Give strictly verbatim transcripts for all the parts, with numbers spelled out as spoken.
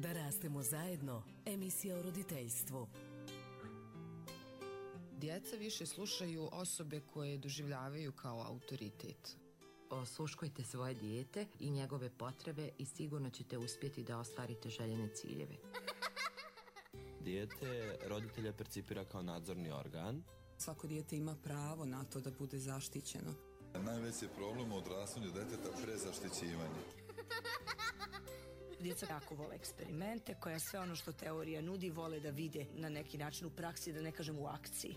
Da rastemo zajedno, emisija o roditeljstvu. Djeca više slušaju osobe koje doživljavaju kao autoritet. Osluškujte svoje dijete i njegove potrebe i sigurno ćete uspjeti da ostvarite željene ciljeve. Dijete roditelja percipira kao nadzorni organ. Svako dijete ima pravo na to da bude zaštićeno. Najveći je problem u odrastanju deteta prezaštićivanje. Djeca jako vole eksperimente, koja sve ono što teorija nudi vole da vide na neki način u praksi, da ne kažem u akciji.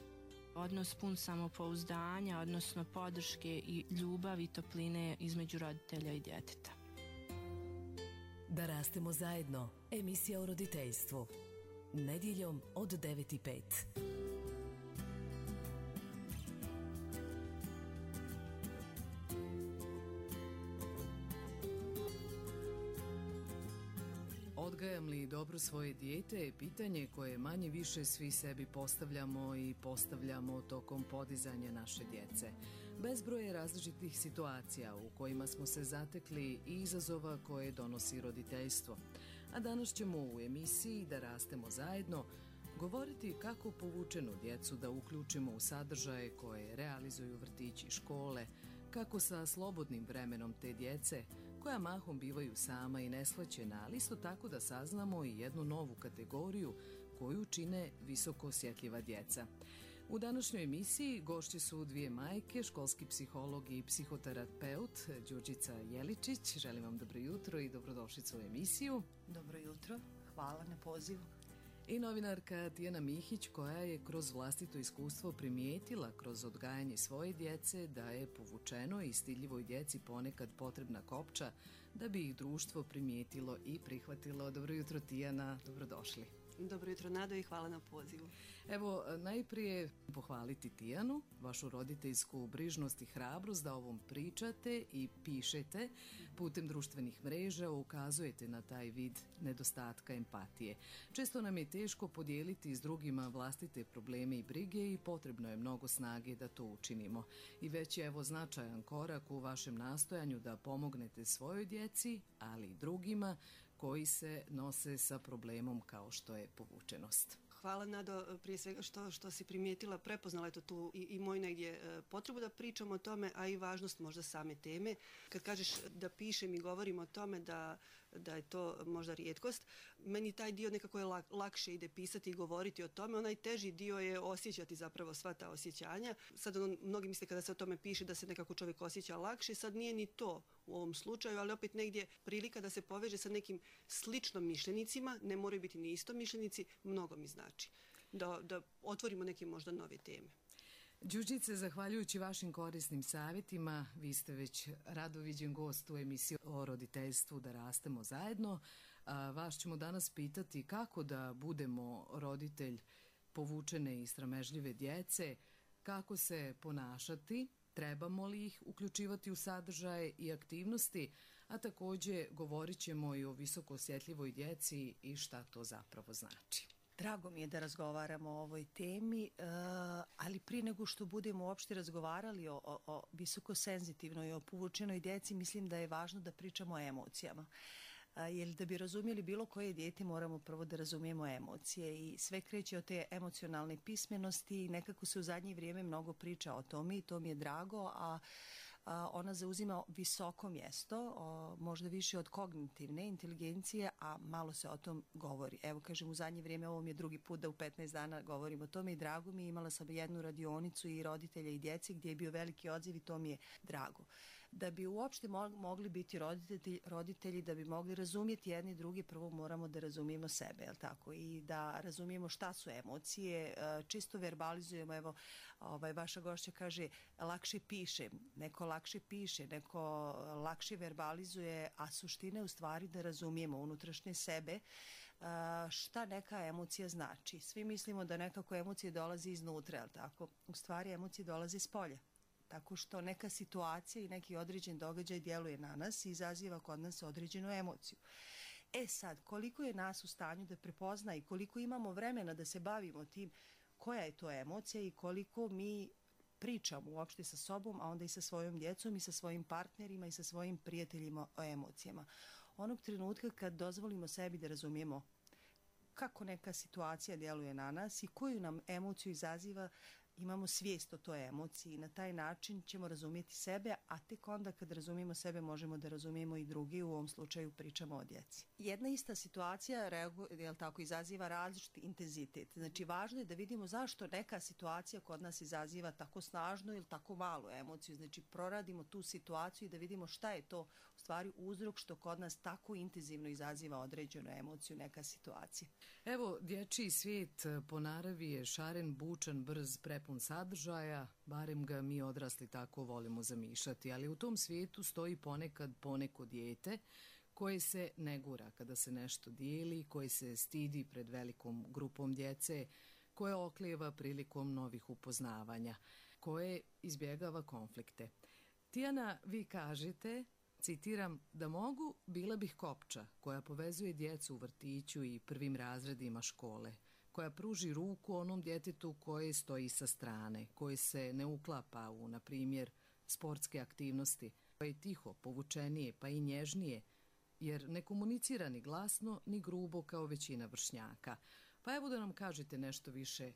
Odnos pun samopouzdanja, odnosno podrške i ljubavi i topline između roditelja i djeteta. Da rastemo zajedno, emisija o roditeljstvu. Nedjeljom od devet i pet. Odgajam li dobro svoje dijete je pitanje koje manje više svi sebi postavljamo i postavljamo tokom podizanja naše djece. Bezbroj je različitih situacija u kojima smo se zatekli i izazova koje donosi roditeljstvo. A danas ćemo u emisiji Da rastemo zajedno govoriti kako povučenu djecu da uključimo u sadržaje koje realizuju vrtići i škole, kako sa slobodnim vremenom te djece, koja mahom bivaju sama i neshvaćena, ali isto tako da saznamo i jednu novu kategoriju koju čine visoko osjetljiva djeca. U današnjoj emisiji gošće su dvije majke, školski psiholog i psihoterapeut Đurđica Jeličić. Želim vam dobro jutro i dobrodošlicu u emisiju. Dobro jutro, hvala na pozivu. I novinarka Tijana Mihić, koja je kroz vlastito iskustvo primijetila kroz odgajanje svoje djece da je povučeno i stidljivoj djeci ponekad potrebna kopča da bi ih društvo primijetilo i prihvatilo. Dobro jutro Tijana, dobrodošli. Dobro jutro Nado i hvala na pozivu. Evo, najprije pohvaliti Tijanu, vašu roditeljsku brižnost i hrabrost da ovom pričate i pišete putem društvenih mreža, ukazujete na taj vid nedostatka empatije. Često nam je teško podijeliti s drugima vlastite probleme i brige i potrebno je mnogo snage da to učinimo. I već je evo značajan korak u vašem nastojanju da pomognete svojoj djeci, ali i drugima koji se nose sa problemom kao što je povučenost. Hvala Nado, prije svega što, što si primijetila, prepoznala je to tu i, i moj negdje e, potrebu da pričamo o tome, a i važnost možda same teme. Kad kažeš da pišem i govorim o tome da, da je to možda rijetkost, meni taj dio nekako je lak, lakše ide pisati i govoriti o tome, onaj teži dio je osjećati zapravo sva ta osjećanja. Sad ono, mnogi misle kada se o tome piše da se nekako čovjek osjeća lakše, sad nije ni to u ovom slučaju, ali opet negdje prilika da se poveže sa nekim sličnom mišljenicima, ne moraju biti ni isto mišljenici, mnogo mi znači. Da, da otvorimo neke možda nove teme. Đurđice, zahvaljujući vašim korisnim savjetima, vi ste već rado viđen gost u emisiji o roditeljstvu Da rastemo zajedno. A, vas ćemo danas pitati kako da budemo roditelj povučene i sramežljive djece, kako se ponašati, trebamo li ih uključivati u sadržaje i aktivnosti, a također govorit ćemo i o visoko osjetljivoj djeci i šta to zapravo znači. Drago mi je da razgovaramo o ovoj temi, ali prije nego što budemo uopšte razgovarali o, o, o visoko senzitivnoj i o povučenoj djeci, mislim da je važno da pričamo o emocijama. Jer da bi razumjeli bilo koje dijete moramo prvo da razumijemo emocije i sve kreće od te emocionalne pismenosti i nekako se u zadnje vrijeme mnogo priča o tome i to mi je drago, a, a ona zauzima visoko mjesto, o, možda više od kognitivne inteligencije, a malo se o tom govori. Evo kažem, u zadnje vrijeme ovo mi je drugi put da u petnaest dana govorim o tome i drago mi je, imala sam jednu radionicu i roditelja i djeci gdje je bio veliki odziv i to mi je drago. Da bi uopšte mogli biti roditelji, roditelji da bi mogli razumjeti jedni drugi, prvo moramo da razumijemo sebe, jel tako? I da razumijemo šta su emocije, čisto verbalizujemo, evo, ovaj, vaša gošća kaže, lakše piše, neko lakše piše, neko lakše verbalizuje, a suština je u stvari da razumijemo unutrašnje sebe, šta neka emocija znači. Svi mislimo da nekako emocije dolazi iznutra, jel tako? U stvari emocije dolaze iz polja. Tako što neka situacija i neki određen događaj djeluje na nas i izaziva kod nas određenu emociju. E sad, koliko je nas u stanju da prepozna i koliko imamo vremena da se bavimo tim koja je to emocija i koliko mi pričamo uopšte sa sobom, a onda i sa svojom djecom i sa svojim partnerima i sa svojim prijateljima o emocijama. onog trenutka kad dozvolimo sebi da razumijemo kako neka situacija djeluje na nas i koju nam emociju izaziva, imamo svijest o toj emociji i na taj način ćemo razumjeti sebe, a tek onda kad razumijemo sebe možemo da razumijemo i drugi, u ovom slučaju pričamo o djeci. Jedna ista situacija reaguje, jel tako, izaziva različiti intenzitet. Znači važno je da vidimo zašto neka situacija kod nas izaziva tako snažnu ili tako malu emociju. Znači proradimo tu situaciju i da vidimo šta je to u stvari uzrok što kod nas tako intenzivno izaziva određenu emociju, neka situacija. Evo, dječji svijet po naravi je šaren, bučan, brz, prepun sadržaja, barem ga mi odrasli tako volimo zamišljati, ali u tom svijetu stoji ponekad poneko dijete koje se ne gura kada se nešto dijeli, koje se stidi pred velikom grupom djece, koje oklijeva prilikom novih upoznavanja, koje izbjegava konflikte. Tijana, vi kažete, citiram, da mogu, bila bih kopča koja povezuje djecu u vrtiću i prvim razredima škole, koja pruži ruku onom djetetu koje stoji sa strane, koje se ne uklapa u, na primjer, sportske aktivnosti, koje je tiho, povučenije pa i nježnije, jer ne komunicira ni glasno ni grubo kao većina vršnjaka. Pa evo da nam kažete nešto više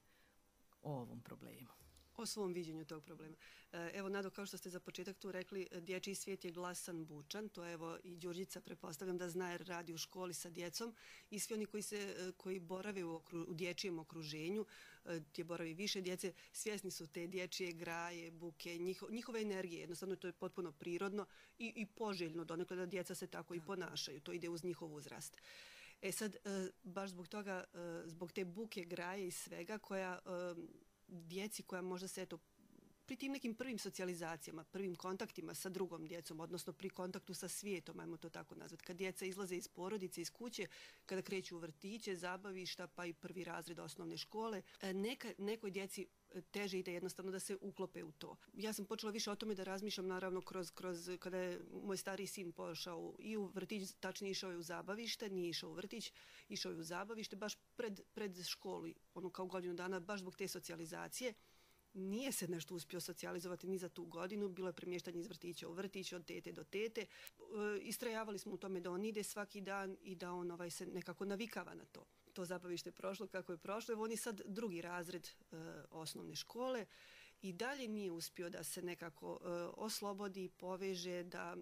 o ovom problemu. O svom viđenju tog problema. Evo, Nado, kao što ste za početak tu rekli, dječji svijet je glasan, bučan. To evo i Đurđica, pretpostavljam da zna jer radi u školi sa djecom. I svi oni koji, se, koji borave u, okru, u dječjem okruženju, gdje boravi više djece, svjesni su te dječje graje, buke, njiho, njihove energije. Jednostavno to je potpuno prirodno i, i poželjno donekle da djeca se tako i ponašaju. To ide uz njihov uzrast. E sad, baš zbog toga, zbog te buke, graje i svega koja djeci koja možda se eto pri tim nekim prvim socijalizacijama, prvim kontaktima sa drugom djecom, odnosno pri kontaktu sa svijetom, ajmo to tako nazvati, kad djeca izlaze iz porodice, iz kuće, kada kreću u vrtiće, zabavišta, pa i prvi razred osnovne škole, neka, nekoj djeci teže ide jednostavno da se uklope u to. Ja sam počela više o tome da razmišljam naravno kroz, kroz kada je moj stariji sin pošao i u vrtić, tačnije išao je u zabavište, nije išao u vrtić, išao je u zabavište, baš pred, pred školi, ono kao godinu dana, baš zbog te socijalizacije. Nije se nešto uspio socijalizovati ni za tu godinu, bilo je premještanje iz vrtića u vrtić, od tete do tete. E, istrajavali smo u tome da on ide svaki dan i da on ovaj, se nekako navikava na to. To zabavište je prošlo kako je prošlo. Evo on je sad drugi razred e, osnovne škole i dalje nije uspio da se nekako e, oslobodi, poveže, da...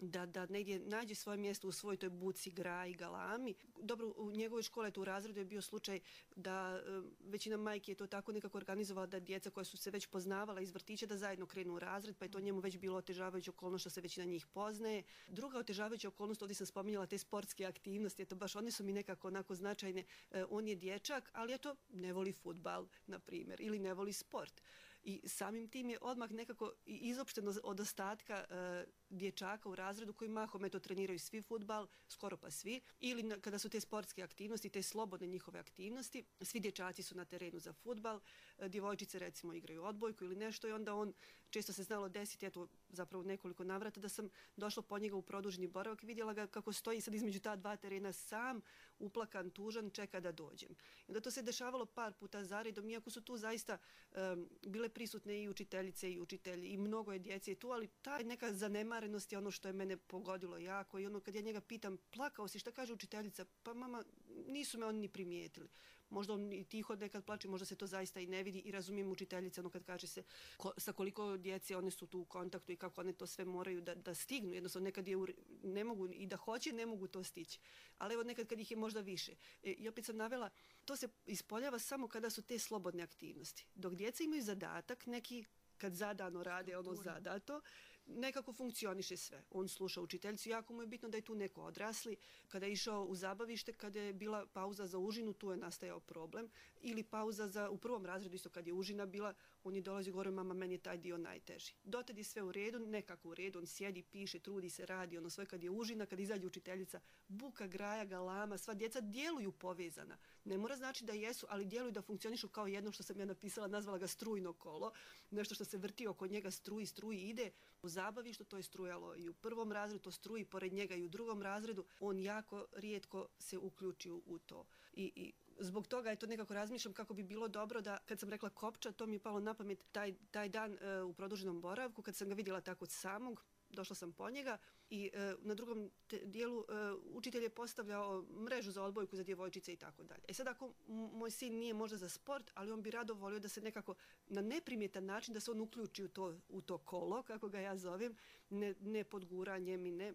Da, da negdje nađe svoje mjesto u svojoj toj buci, graji, galami. Dobro, u njegovoj škole, tu u razredu je bio slučaj da e, većina majki je to tako nekako organizovala da djeca koja su se već poznavala iz vrtića da zajedno krenu u razred, pa je to njemu već bilo otežavajuća okolnost što se većina njih poznaje. Druga otežavajuća okolnost, ovdje sam spominjala te sportske aktivnosti, eto baš one su mi nekako onako značajne. E, on je dječak, ali eto ne voli fudbal, na primjer, ili ne voli sport. I samim tim je odmah nekako izopšteno od ostatka e, dječaka u razredu koji mahom eto treniraju svi fudbal, skoro pa svi, ili na, kada su te sportske aktivnosti, te slobodne njihove aktivnosti, svi dječaci su na terenu za fudbal, e, djevojčice recimo igraju odbojku ili nešto i onda on, često se znalo desiti, eto zapravo nekoliko navrata da sam došla po njega u produženi boravak i vidjela ga kako stoji sad između ta dva terena sam, uplakan, tužan, čeka da dođem. I onda to se dešavalo par puta zaredom, iako su tu zaista um, bile prisutne i učiteljice i učitelji i mnogo je djece tu, ali ta neka zanemarenost je ono što je mene pogodilo jako i ono kad ja njega pitam, plakao si, šta kaže učiteljica? Pa mama, nisu me oni ni primijetili. Možda on i tiho nekad plače, možda se to zaista i ne vidi i razumijem učiteljice ono kad kaže se ko, sa koliko djece one su tu u kontaktu i kako one to sve moraju da, da stignu. Jednostavno nekad je u, ne mogu i da hoće, ne mogu to stići. Ali evo nekad kad ih je možda više. E, I opet sam navela, to se ispoljava samo kada su te slobodne aktivnosti. Dok djeca imaju zadatak, neki kad zadano rade ono zadato, nekako funkcioniše sve. On sluša učiteljicu, jako mu je bitno da je tu neko odrasli. Kada je išao u zabavište, kada je bila pauza za užinu, tu je nastajao problem. Ili pauza za, u prvom razredu, isto kad je užina bila, on je dolazio gore, mama, meni je taj dio najteži. Dotad je sve u redu, nekako u redu, on sjedi, piše, trudi se, radi, ono sve kad je užina, kad izađe učiteljica, buka, graja, galama, sva djeca djeluju povezana. Ne mora znači da jesu, ali djeluju da funkcionišu kao jedno što sam ja napisala, nazvala ga strujno kolo, nešto što se vrti oko njega, struji, struji, ide. U zabavištu to je strujalo i u prvom razredu, to struji pored njega i u drugom razredu, on jako rijetko se uključi u to. I, i zbog toga je to nekako razmišljam kako bi bilo dobro da, kad sam rekla kopča, to mi je palo na pamet taj, taj dan e, u produženom boravku, kad sam ga vidjela tako samog, došla sam po njega i e, na drugom te, dijelu e, učitelj je postavljao mrežu za odbojku za djevojčice i tako dalje. E sad ako moj sin nije možda za sport, ali on bi rado volio da se nekako na neprimjetan način da se on uključi u to, u to kolo, kako ga ja zovem, ne, ne podguranjem i ne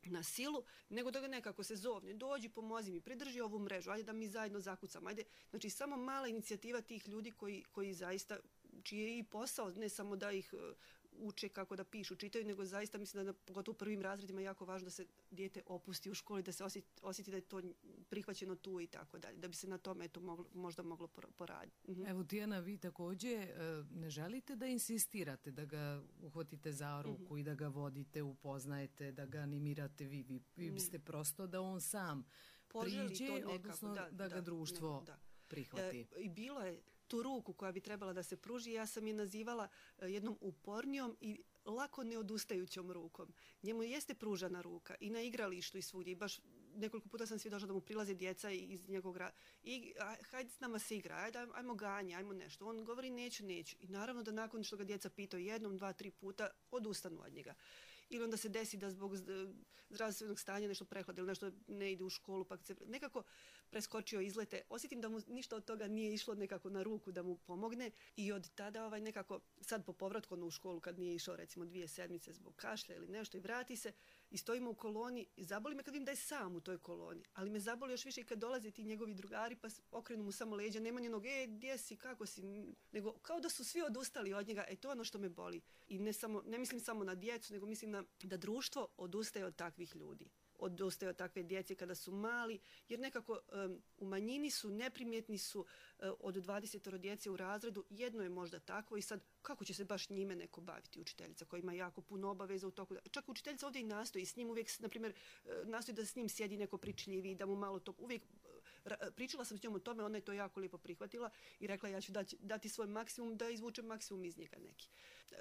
na silu, nego da ga nekako se zovne, dođi, pomozi mi, pridrži ovu mrežu, ajde da mi zajedno zakucamo, ajde. Znači, samo mala inicijativa tih ljudi koji, koji zaista, čiji je i posao, ne samo da ih uče kako da pišu, čitaju, nego zaista mislim da na, pogotovo u prvim razredima je jako važno da se dijete opusti u školi, da se osjeti, osjeti da je to prihvaćeno tu i tako dalje, da bi se na tome to moglo, možda moglo poraditi. Mhm. Evo, Tijana, vi također ne želite da insistirate, da ga uhvatite za ruku mm-hmm. i da ga vodite, upoznajete, da ga animirate vi, vi, vi biste mm. prosto da on sam Poželi priđe, to nekako, odnosno da, da ga da, društvo ne, da. prihvati. E, I bilo je tu ruku koja bi trebala da se pruži, ja sam je nazivala jednom upornijom i lako neodustajućom rukom. Njemu jeste pružana ruka i na igralištu i svugdje. I baš nekoliko puta sam svjedočila da mu prilaze djeca iz njegovog rada. I hajde s nama se igra, ajde, ajmo ganje, ajmo nešto. On govori neću, neću. I naravno da nakon što ga djeca pitaju jednom, dva, tri puta, odustanu od njega. Ili onda se desi da zbog zdravstvenog stanja nešto prehlade ili nešto ne ide u školu, pa se nekako preskočio izlete. Osjetim da mu ništa od toga nije išlo nekako na ruku da mu pomogne i od tada ovaj nekako, sad po povratku u školu kad nije išao recimo dvije sedmice zbog kašlja ili nešto i vrati se i stojimo u koloni i zaboli me kad vidim da je sam u toj koloni, ali me zaboli još više i kad dolaze ti njegovi drugari pa okrenu mu samo leđa, nema njenog, e, gdje si, kako si, nego kao da su svi odustali od njega, e to je ono što me boli. I ne, samo, ne mislim samo na djecu, nego mislim na, da društvo odustaje od takvih ljudi. Odustaje od takve djece kada su mali, jer nekako um, u manjini su, neprimjetni su uh, od dvadeset djece u razredu, jedno je možda takvo i sad kako će se baš njime neko baviti, učiteljica koja ima jako puno obaveza u toku. Čak učiteljica ovdje i nastoji s njim, uvijek, na primjer, nastoji da s njim sjedi neko pričljiviji, da mu malo to, uvijek pričala sam s njom o tome, ona je to jako lijepo prihvatila i rekla ja ću dati, dati svoj maksimum da izvučem maksimum iz njega neki.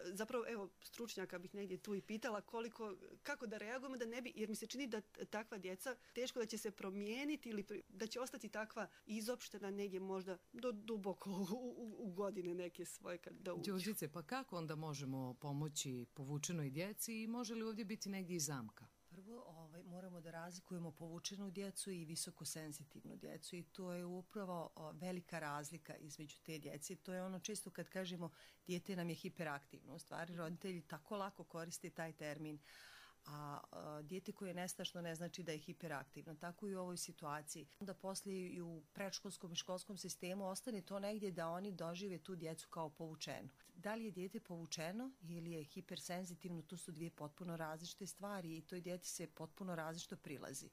Zapravo, evo, stručnjaka bih negdje tu i pitala koliko, kako da reagujemo da ne bi, jer mi se čini da takva djeca teško da će se promijeniti ili da će ostati takva izopštena negdje možda do duboko u, u, u godine neke svoje kad da uđu. Đurđice, pa kako onda možemo pomoći povučenoj djeci i može li ovdje biti negdje i zamka? Prvo, ovaj, moramo da razlikujemo povučenu djecu i visokosenzitivnu djecu i to je upravo o, velika razlika između te djece. To je ono često kad kažemo dijete nam je hiperaktivno. U stvari, roditelji tako lako koriste taj termin, a, a dijete koje je nestašno ne znači da je hiperaktivno. Tako i u ovoj situaciji. Onda poslije i u predškolskom i školskom sistemu ostane to negdje da oni dožive tu djecu kao povučenu. Da li je dijete povučeno ili je hipersenzitivno, to su dvije potpuno različite stvari i toj djeci se potpuno različito prilazi.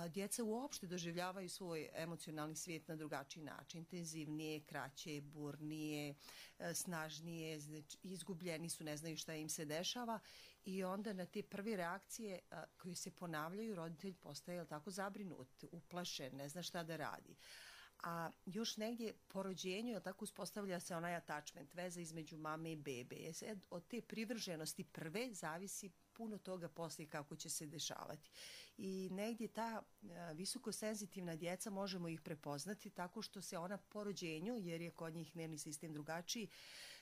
Djeca uopšte doživljavaju svoj emocionalni svijet na drugačiji način, intenzivnije, kraće, burnije, snažnije, znači, izgubljeni su, ne znaju šta im se dešava i onda na te prve reakcije koje se ponavljaju roditelj postaje tako zabrinut, uplašen, ne zna šta da radi. A još negdje po rođenju tako uspostavlja se onaj attachment, veza između mame i bebe. Od te privrženosti prve zavisi puno toga poslije kako će se dešavati. I negdje ta visokosenzitivna djeca možemo ih prepoznati tako što se ona po rođenju, jer je kod njih nervni sistem drugačiji,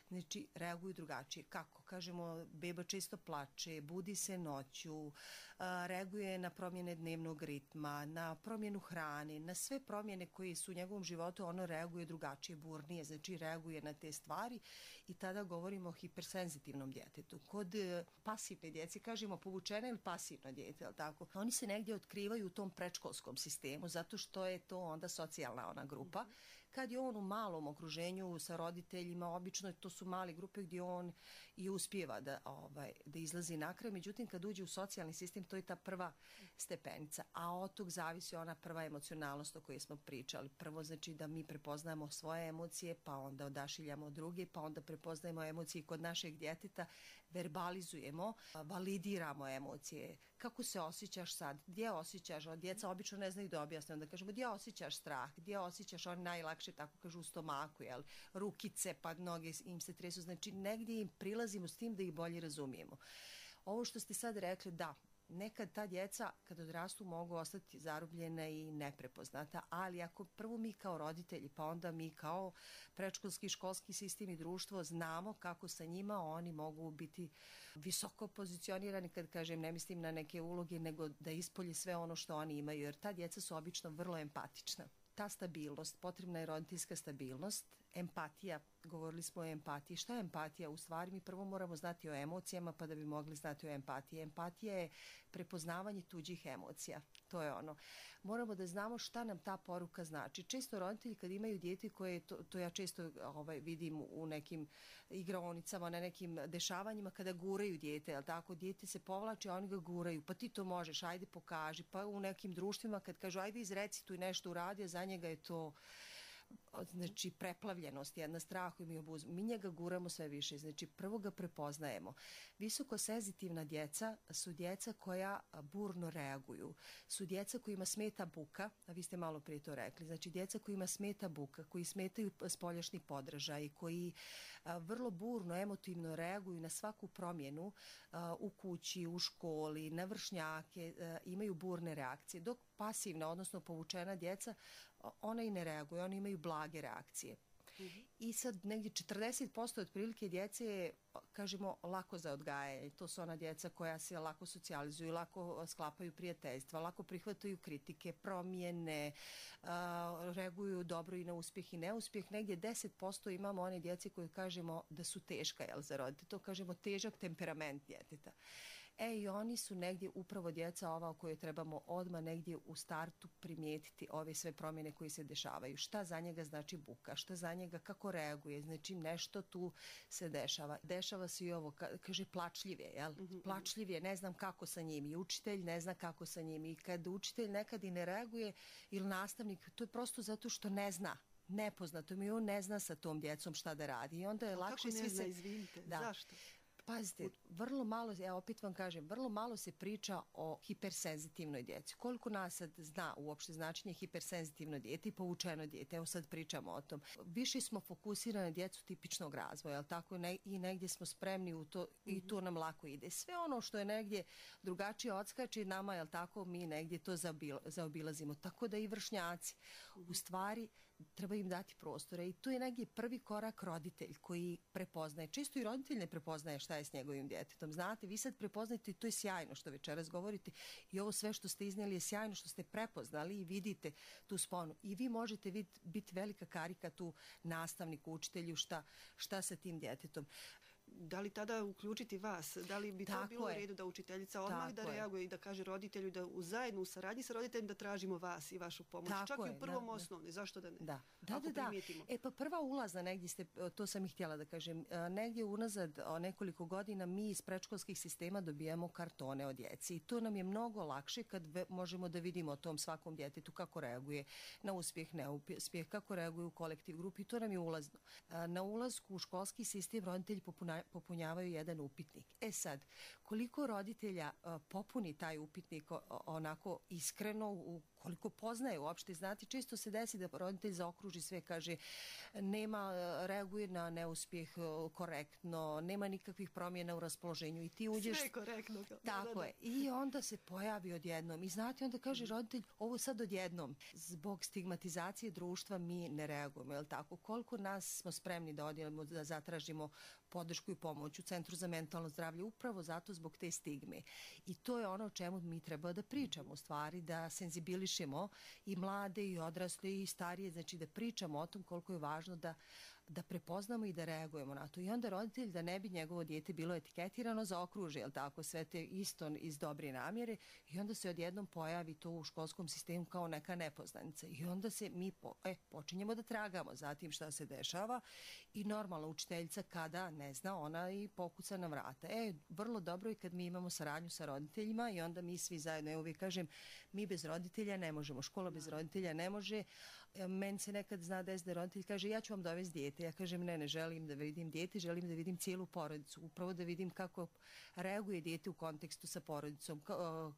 znači reaguju drugačije. Kako? Kažemo, beba često plače, budi se noću, reaguje na promjene dnevnog ritma, na promjenu hrane, na sve promjene koje su u njegovom životu, ono reaguje drugačije, burnije, znači reaguje na te stvari i tada govorimo o hipersenzitivnom djetetu. Kod pasivne djece kažemo povučena ili pasivno djete, ali tako? Oni se negdje otkrivaju u tom predškolskom sistemu zato što je to onda socijalna ona grupa. Kad je on u malom okruženju sa roditeljima, obično to su male grupe gdje on i uspijeva da, ovaj, da izlazi na kraj. Međutim, kad uđe u socijalni sistem, to je ta prva stepenica. A od tog zavisi ona prva emocionalnost o kojoj smo pričali. Prvo znači da mi prepoznajemo svoje emocije, pa onda odašiljamo druge, pa onda prepoznajemo emocije kod našeg djeteta, verbalizujemo, validiramo emocije. Kako se osjećaš sad? Gdje osjećaš? Djeca obično ne znaju da objasne. Onda kažemo gdje osjećaš strah? Gdje osjećaš on najlakše, tako kažu, u stomaku, jel? Rukice, pa noge im se tresu. Znači negdje im prilazimo s tim da ih bolje razumijemo. Ovo što ste sad rekli, da, nekad ta djeca kad odrastu mogu ostati zarobljena i neprepoznata, ali ako prvo mi kao roditelji, pa onda mi kao predškolski, školski sistem i društvo znamo kako sa njima oni mogu biti visoko pozicionirani, kad kažem ne mislim na neke uloge, nego da ispolje sve ono što oni imaju, jer ta djeca su obično vrlo empatična. Ta stabilnost, potrebna je roditeljska stabilnost, empatija, govorili smo o empatiji. Šta je empatija? U stvari mi prvo moramo znati o emocijama pa da bi mogli znati o empatiji. Empatija je prepoznavanje tuđih emocija. To je ono. Moramo da znamo šta nam ta poruka znači. Često roditelji kad imaju dijete koje, to, to ja često ovaj, vidim u nekim igraonicama, na nekim dešavanjima kada guraju dijete, jel tako? Dijete se povlači, a oni ga guraju, pa ti to možeš, ajde pokaži. Pa u nekim društvima kad kažu ajde izrecituj nešto uradi, a za njega je to znači preplavljenost, jedna strah i mi obuz. Mi njega guramo sve više, znači prvo ga prepoznajemo. Visoko senzitivna djeca su djeca koja burno reaguju, su djeca kojima smeta buka, a vi ste malo prije to rekli, znači djeca kojima smeta buka, koji smetaju spoljašnji podražaj, koji a, vrlo burno, emotivno reaguju na svaku promjenu a, u kući, u školi, na vršnjake, a, imaju burne reakcije, dok pasivna, odnosno povučena djeca, ona i ne reaguju, oni imaju blage reakcije. Mm-hmm. I sad negdje četrdeset posto otprilike djece je, kažemo, lako za odgajanje. To su ona djeca koja se lako socijalizuju, lako sklapaju prijateljstva, lako prihvataju kritike, promjene, uh, reaguju dobro i na uspjeh i neuspjeh. Negdje deset posto imamo one djece koje kažemo da su teška, jel, za roditelje. To kažemo težak temperament djeteta. E i oni su negdje upravo djeca ova o kojoj trebamo odmah negdje u startu primijetiti ove sve promjene koje se dešavaju. Šta za njega znači buka, šta za njega, kako reaguje, znači nešto tu se dešava. Dešava se i ovo, kaže plačljiv je, jel? Mm-hmm. Plačljiv je, ne znam kako sa njim, i učitelj ne zna kako sa njim, i kad učitelj nekad i ne reaguje ili nastavnik, to je prosto zato što ne zna. Nepoznato mi, on ne zna sa tom djecom šta da radi i onda je A lakše kako ne svi zna, se... izvinite, da. Zašto? Pazite, vrlo malo, ja opet vam kažem, vrlo malo se priča o hipersenzitivnoj djeci. Koliko nas sad zna uopšte značenje hipersenzitivno dijete i povučeno dijete, evo sad pričamo o tom. Više smo fokusirani na djecu tipičnog razvoja, jel tako? Ne, i negdje smo spremni u to mm-hmm. i to nam lako ide. Sve ono što je negdje drugačije odskače nama, jel tako, mi negdje to zaobil, zaobilazimo. Tako da i vršnjaci, mm-hmm. u stvari, treba im dati prostore i to je negdje prvi korak roditelj koji prepoznaje. Često i roditelj ne prepoznaje šta je s njegovim djetetom. Znate, vi sad prepoznajete i to je sjajno što večeras govorite i ovo sve što ste iznijeli je sjajno što ste prepoznali i vidite tu sponu. I vi možete vid, biti velika karika tu nastavniku, učitelju šta, šta sa tim djetetom. Da li tada uključiti vas? Da li bi Tako to bilo je. u redu da učiteljica odmah Tako da je. reaguje i da kaže roditelju da u zajedno u saradnji sa roditeljem da tražimo vas i vašu pomoć? Tako Čak je, i u prvom da, osnovne. Zašto da ne? Da, da, Ako da, da. primijetimo. E pa prva ulazna negdje ste, to sam i htjela da kažem, negdje unazad nekoliko godina mi iz predškolskih sistema dobijamo kartone od djeci i to nam je mnogo lakše kad ve, možemo da vidimo o tom svakom djetetu kako reaguje na uspjeh, neuspjeh, kako reaguje u kolektiv grupi i to nam je ulazno. Na ulazku u školski sistem roditelji popuna, popunjavaju jedan upitnik. E sad, koliko roditelja uh, popuni taj upitnik o, onako iskreno, u, koliko poznaje uopšte, znate, često se desi da roditelj zaokruži sve, kaže nema, reaguje na neuspjeh uh, korektno, nema nikakvih promjena u raspoloženju i ti uđeš... Sve korektno. Tako da, da, da. je. I onda se pojavi odjednom. I znate, onda kaže roditelj, ovo sad odjednom. Zbog stigmatizacije društva mi ne reagujemo, je li tako? Koliko nas smo spremni da odjelimo, da zatražimo podršku i pomoć u Centru za mentalno zdravlje, upravo zato zbog te stigme. I to je ono o čemu mi treba da pričamo, u stvari, da senzibilišemo i mlade i odrasle i starije, znači da pričamo o tom koliko je važno da da prepoznamo i da reagujemo na to. I onda roditelj, da ne bi njegovo dijete bilo etiketirano, zaokruži, jel tako, sve te isto iz dobre namjere i onda se odjednom pojavi to u školskom sistemu kao neka nepoznanica. I onda se mi po, e, počinjemo da tragamo za tim šta se dešava i normalna učiteljica kada ne zna, ona i pokuca na vrata. E, vrlo dobro je kad mi imamo saradnju sa roditeljima i onda mi svi zajedno, ja uvijek kažem, mi bez roditelja ne možemo, škola bez roditelja ne može. Meni se nekad zna des da roditelj kaže ja ću vam dovesti dijete. Ja kažem ne, ne želim da vidim dijete, želim da vidim cijelu porodicu. Upravo da vidim kako reaguje dijete u kontekstu sa porodicom,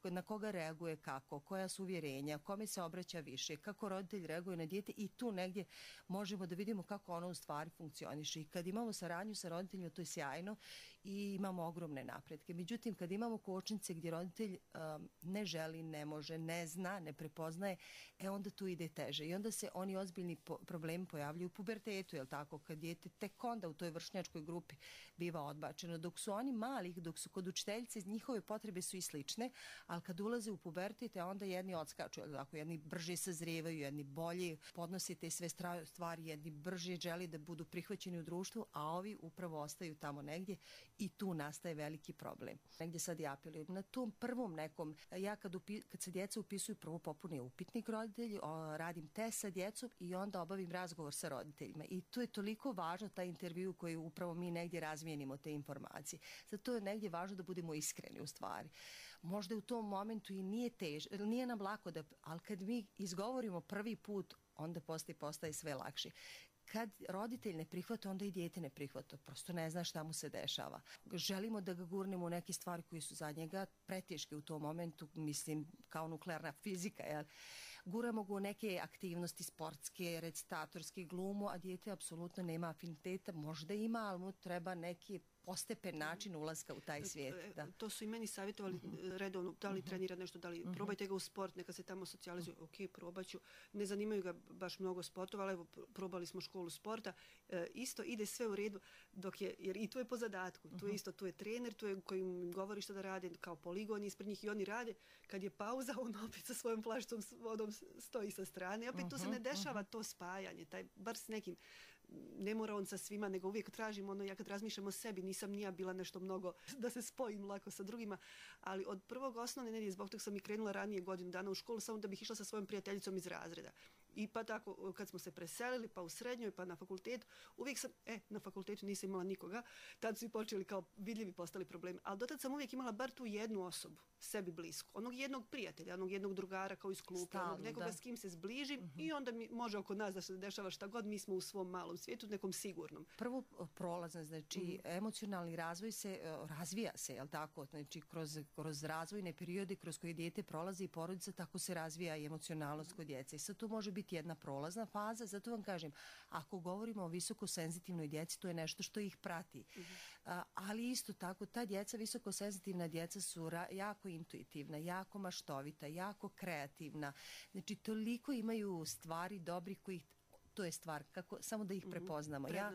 na koga reaguje kako, koja su uvjerenja, kome se obraća više, kako roditelj reaguje na dijete i tu negdje možemo da vidimo kako ono u stvari funkcioniše. I kad imamo saradnju sa roditeljima, to je sjajno i imamo ogromne napretke. Međutim, kad imamo kočnice gdje roditelj um, ne želi, ne može, ne zna, ne prepoznaje, e onda tu ide teže. I onda se oni ozbiljni po problemi pojavljuju u pubertetu, jel tako? Kad dijete tek onda u toj vršnjačkoj grupi biva odbačeno. Dok su oni malih, dok su kod učiteljice, njihove potrebe su i slične, ali kad ulaze u pubertet, onda jedni odskaču, jel tako? Jedni brže sazrijevaju, jedni bolje podnose te sve stvari, jedni brže želi da budu prihvaćeni u društvu, a ovi upravo ostaju tamo negdje i tu nastaje veliki problem. Negdje sad ja apelujem na tom prvom nekom, ja kad, upi, kad se djeca upisuju, prvo popune upitnik roditelji, o, radim test sa djecom i onda obavim razgovor sa roditeljima. I to je toliko važno, taj intervju koji upravo mi negdje razmijenimo te informacije. Zato je negdje važno da budemo iskreni u stvari. Možda u tom momentu i nije tež, nije nam lako da, ali kad mi izgovorimo prvi put, onda postaje, postaje sve lakše. Kad roditelj ne prihvata, onda i dijete ne prihvata. Prosto ne zna šta mu se dešava. Želimo da ga gurnemo u neke stvari koje su za njega preteške u tom momentu, mislim kao nuklearna fizika, jel? Guramo ga u neke aktivnosti sportske, recitatorske, glumu, a dijete apsolutno nema afiniteta, možda ima, ali mu treba neki postepen način ulaska u taj svijet. Da. To su i meni savjetovali redovno, da li trenira nešto, da li probajte ga u sport, neka se tamo socijalizuje, ok, probaću. Ne zanimaju ga baš mnogo sportova, ali evo, probali smo školu sporta. E, isto ide sve u redu, dok je, jer i tu je po zadatku, tu je isto, tu je trener, tu je koji im govori što da rade, kao poligon ispred njih i oni rade. Kad je pauza, on opet sa svojom plašicom s vodom stoji sa strane. Opet tu se ne dešava to spajanje, taj, bar s nekim, ne mora on sa svima, nego uvijek tražim ono, ja kad razmišljam o sebi, nisam ni ja bila nešto mnogo da se spojim lako sa drugima, ali od prvog osnovne nedjelje, zbog toga sam i krenula ranije godinu dana u školu, samo da bih išla sa svojom prijateljicom iz razreda. I pa tako, kad smo se preselili, pa u srednjoj, pa na fakultetu, uvijek sam, e, na fakultetu nisam imala nikoga, tad su i počeli kao vidljivi postali problemi, ali dotad sam uvijek imala bar tu jednu osobu, sebi blisku, onog jednog prijatelja, onog jednog drugara kao iz kluba, onog nekoga da. S kim se zbližim uh-huh. i onda mi može oko nas da se dešava šta god, mi smo u svom malom svijetu, nekom sigurnom. Prvo prolazno, znači uh-huh. emocionalni razvoj se, razvija se, jel tako, znači kroz, kroz razvojne periode kroz koje dijete prolazi i porodica, tako se razvija i emocionalnost kod djece. I sad to može biti jedna prolazna faza, zato vam kažem, ako govorimo o visokosenzitivnoj djeci, to je nešto što ih prati. Uh-huh. A, ali isto tako, ta djeca, visokosenzitivna djeca su ra- jako intuitivna, jako maštovita, jako kreativna. Znači, toliko imaju stvari dobrih kojih to je stvar, kako, samo da ih prepoznamo. Ja,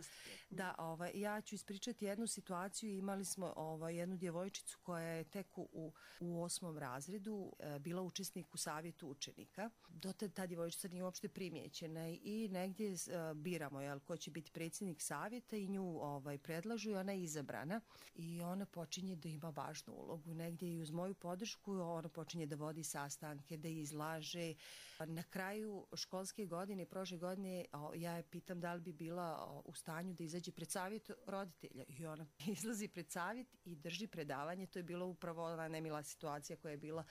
da, ovaj, ja ću ispričati jednu situaciju, imali smo ovaj, jednu djevojčicu koja je tek u, u osmom razredu e, bila učesnik u savjetu učenika. Dotad ta djevojčica nije uopšte primjećena i negdje e, biramo jel, ko će biti predsjednik savjeta i nju ovaj, predlažu i ona je izabrana i ona počinje da ima važnu ulogu. Negdje i uz moju podršku ona počinje da vodi sastanke, da izlaže. Na kraju školske godine, prošle godine, ja je pitam da li bi bila u stanju da izađe pred savjet roditelja i ona izlazi pred savjet i drži predavanje. To je bila upravo ona nemila situacija koja je bila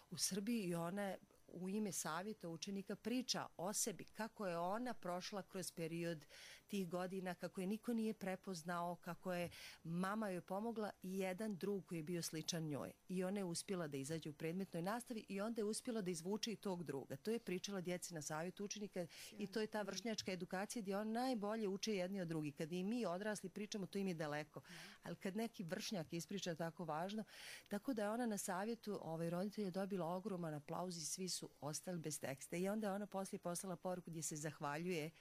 u Srbiji i ona u ime savjeta učenika priča o sebi, kako je ona prošla kroz period tih godina, kako je niko nije prepoznao, kako je mama joj pomogla i jedan drug koji je bio sličan njoj. I ona je uspjela da izađe u predmetnoj nastavi i onda je uspjela da izvuče i tog druga. To je pričala djeci na savjetu učenika i to je ta vršnjačka edukacija gdje on najbolje uče jedni od drugih. Kad i mi odrasli pričamo, to im je daleko. Ali kad neki vršnjak ispriča tako važno, tako da je ona na savjetu ovaj, roditelja dobila ogroman aplauz i svi su ostali bez teksta. I onda je ona poslije poslala poruku gdje se zahvaljuje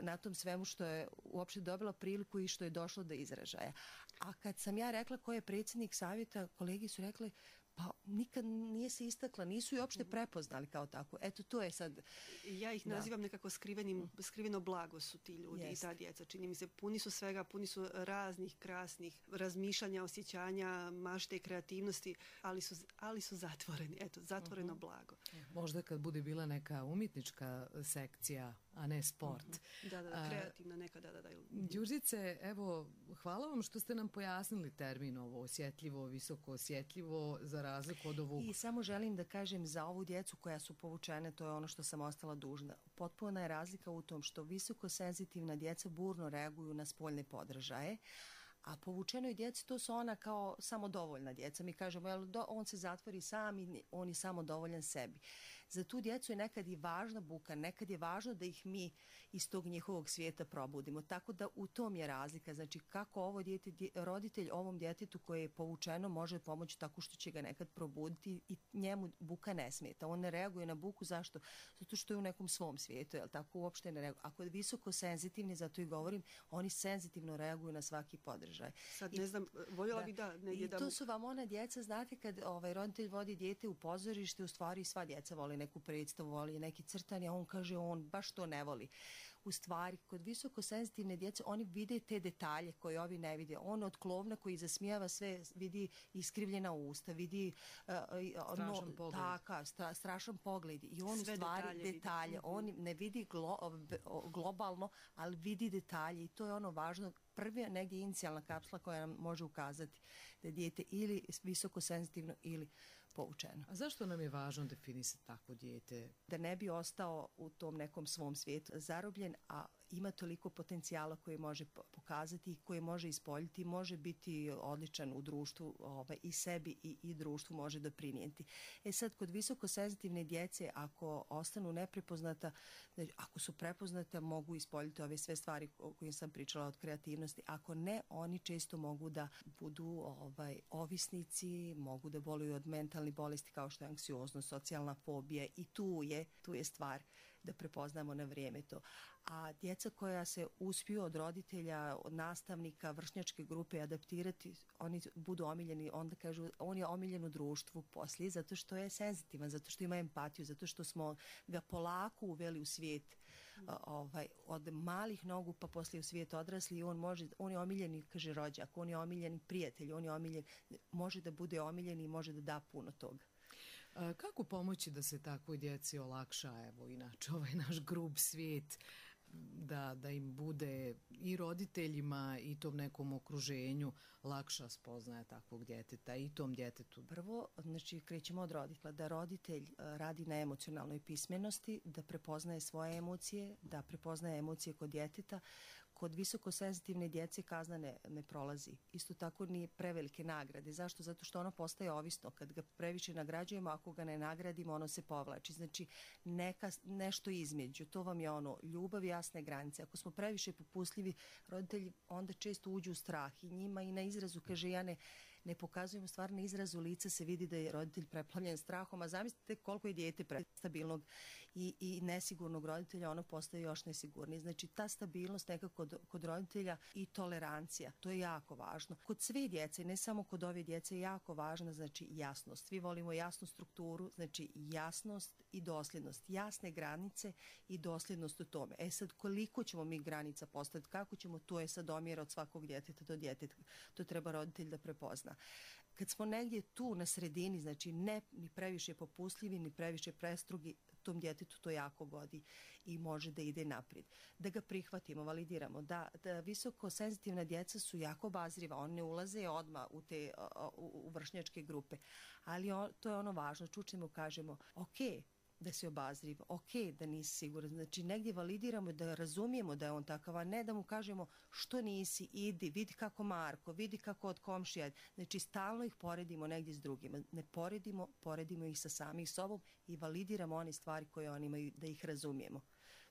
na tom svemu što je uopšte dobila priliku i što je došlo do izražaja. A kad sam ja rekla ko je predsjednik savjeta, kolegi su rekli pa nikad nije se istakla, nisu i uopšte prepoznali kao tako. Eto, to je sad... Ja ih nazivam da. nekako skrivenim, skriveno blago su ti ljudi Jest. i ta djeca. Čini mi se, puni su svega, puni su raznih, krasnih razmišljanja, osjećanja, mašte i kreativnosti, ali su, ali su zatvoreni. Eto, zatvoreno uh-huh. blago. Možda kad bude bila neka umjetnička sekcija, a ne sport. Uh-huh. Da, da, da, kreativna neka, da, da, da. Đurđice, evo, hvala vam što ste nam pojasnili termin ovo osjetljivo, visoko osjetljivo, za razliku od ovog. I samo želim da kažem za ovu djecu koja su povučene, to je ono što sam ostala dužna. Potpuna je razlika u tom što visoko senzitivna djeca burno reaguju na spoljne podražaje, a povučenoj djeci to su ona kao samodovoljna djeca. Mi kažemo, jel, do, on se zatvori sam i on je samodovoljan sebi. Za tu djecu je nekad i važna buka, nekad je važno da ih mi iz tog njihovog svijeta probudimo. Tako da u tom je razlika. Znači kako ovo dijete, roditelj ovom djetetu koje je povučeno može pomoći tako što će ga nekad probuditi i njemu buka ne smeta. On ne reaguje na buku. Zašto? Zato što je u nekom svom svijetu, jel tako, uopšte ne reaguje. Ako je visoko senzitivni, zato i govorim, oni senzitivno reaguju na svaki podržaj. Sad ne znam, voljela bi da... Ne, I da... to su vam ona djeca, znate, kad ovaj, roditelj vodi dijete u pozorište, u stvari sva djeca voli neku predstavu, voli neki crtanje, a on kaže on baš to ne voli. U stvari, kod visoko senzitivne djece, oni vide te detalje koje ovi ne vide. On od klovna koji zasmijava sve, vidi iskrivljena usta, vidi uh, strašan no, pogled. Taka, stra, strašan pogled. I on sve u stvari detalje, detalje. vidi. On ne vidi glo, globalno, ali vidi detalje i to je ono važno. Prva negdje inicijalna kapsula koja nam može ukazati da je dijete ili visoko senzitivno ili poučeno. A zašto nam je važno definisati takvo dijete? Da ne bi ostao u tom nekom svom svijetu zarobljen, a ima toliko potencijala koje može pokazati i koje može ispoljiti, može biti odličan u društvu, ovaj, i sebi i, i društvu može doprinijeti. E sad, kod visoko senzitivne djece, ako ostanu neprepoznata, ako su prepoznate, mogu ispoljiti ove sve stvari o kojim sam pričala od kreativnosti. Ako ne, oni često mogu da budu ovaj, ovisnici, mogu da boluju od mentalnih bolesti kao što je anksioznost, socijalna fobija i tu je, tu je stvar da prepoznamo na vrijeme to. A djeca koja se uspiju od roditelja, od nastavnika, vršnjačke grupe adaptirati, oni budu omiljeni, onda kažu, on je omiljen u društvu poslije, zato što je senzitivan, zato što ima empatiju, zato što smo ga polako uveli u svijet ovaj, od malih nogu pa poslije u svijet odrasli i on može, on je omiljeni, kaže rođak, on je omiljeni prijatelj, on je omiljen, može da bude omiljen i može da da puno toga. Kako pomoći da se takvoj djeci olakša, evo, inače ovaj naš grub svijet, da, da im bude i roditeljima i tom nekom okruženju lakša spoznaja takvog djeteta i tom djetetu? Prvo, znači, krećemo od roditelja, da roditelj radi na emocionalnoj pismenosti, da prepoznaje svoje emocije, da prepoznaje emocije kod djeteta. Kod visokosenzitivne djece kazna ne, ne prolazi. Isto tako ni prevelike nagrade. Zašto? Zato što ono postaje ovisno. Kad ga previše nagrađujemo, ako ga ne nagradimo, ono se povlači. Znači, neka, nešto između. To vam je ono, ljubav i jasne granice. Ako smo previše popustljivi, roditelji onda često uđu u strah i njima i na izrazu kaže ja ne, ne pokazujem stvar, na izrazu lica se vidi da je roditelj preplavljen strahom, a zamislite koliko je dijete prestabilnog i, i nesigurnog roditelja, ono postaje još nesigurniji. Znači ta stabilnost nekako kod, kod roditelja i tolerancija, to je jako važno. Kod sve djece, ne samo kod ove djece, je jako važna, znači jasnost. Svi volimo jasnu strukturu, znači jasnost i dosljednost. Jasne granice i dosljednost u tome. E sad, koliko ćemo mi granica postaviti, kako ćemo, to je sad omjer od svakog djeteta do djeteta. To treba roditelj da prepozna. Kad smo negdje tu na sredini, znači ne ni previše popustljivi, ni previše prestrugi, tom djetetu to jako godi i može da ide naprijed. Da ga prihvatimo, validiramo. Da, da visoko senzitivna djeca su jako obazriva, oni ne ulaze odmah u te u, u vršnjačke grupe, ali on, to je ono važno, čučemo, kažemo, ok, da si obazriv, ok, da nisi siguran. Znači, negdje validiramo da razumijemo da je on takav, a ne da mu kažemo što nisi, idi, vidi kako Marko, vidi kako od komšija. Znači, stalno ih poredimo negdje s drugima. Ne poredimo, poredimo ih sa samih sobom i validiramo one stvari koje oni imaju, da ih razumijemo.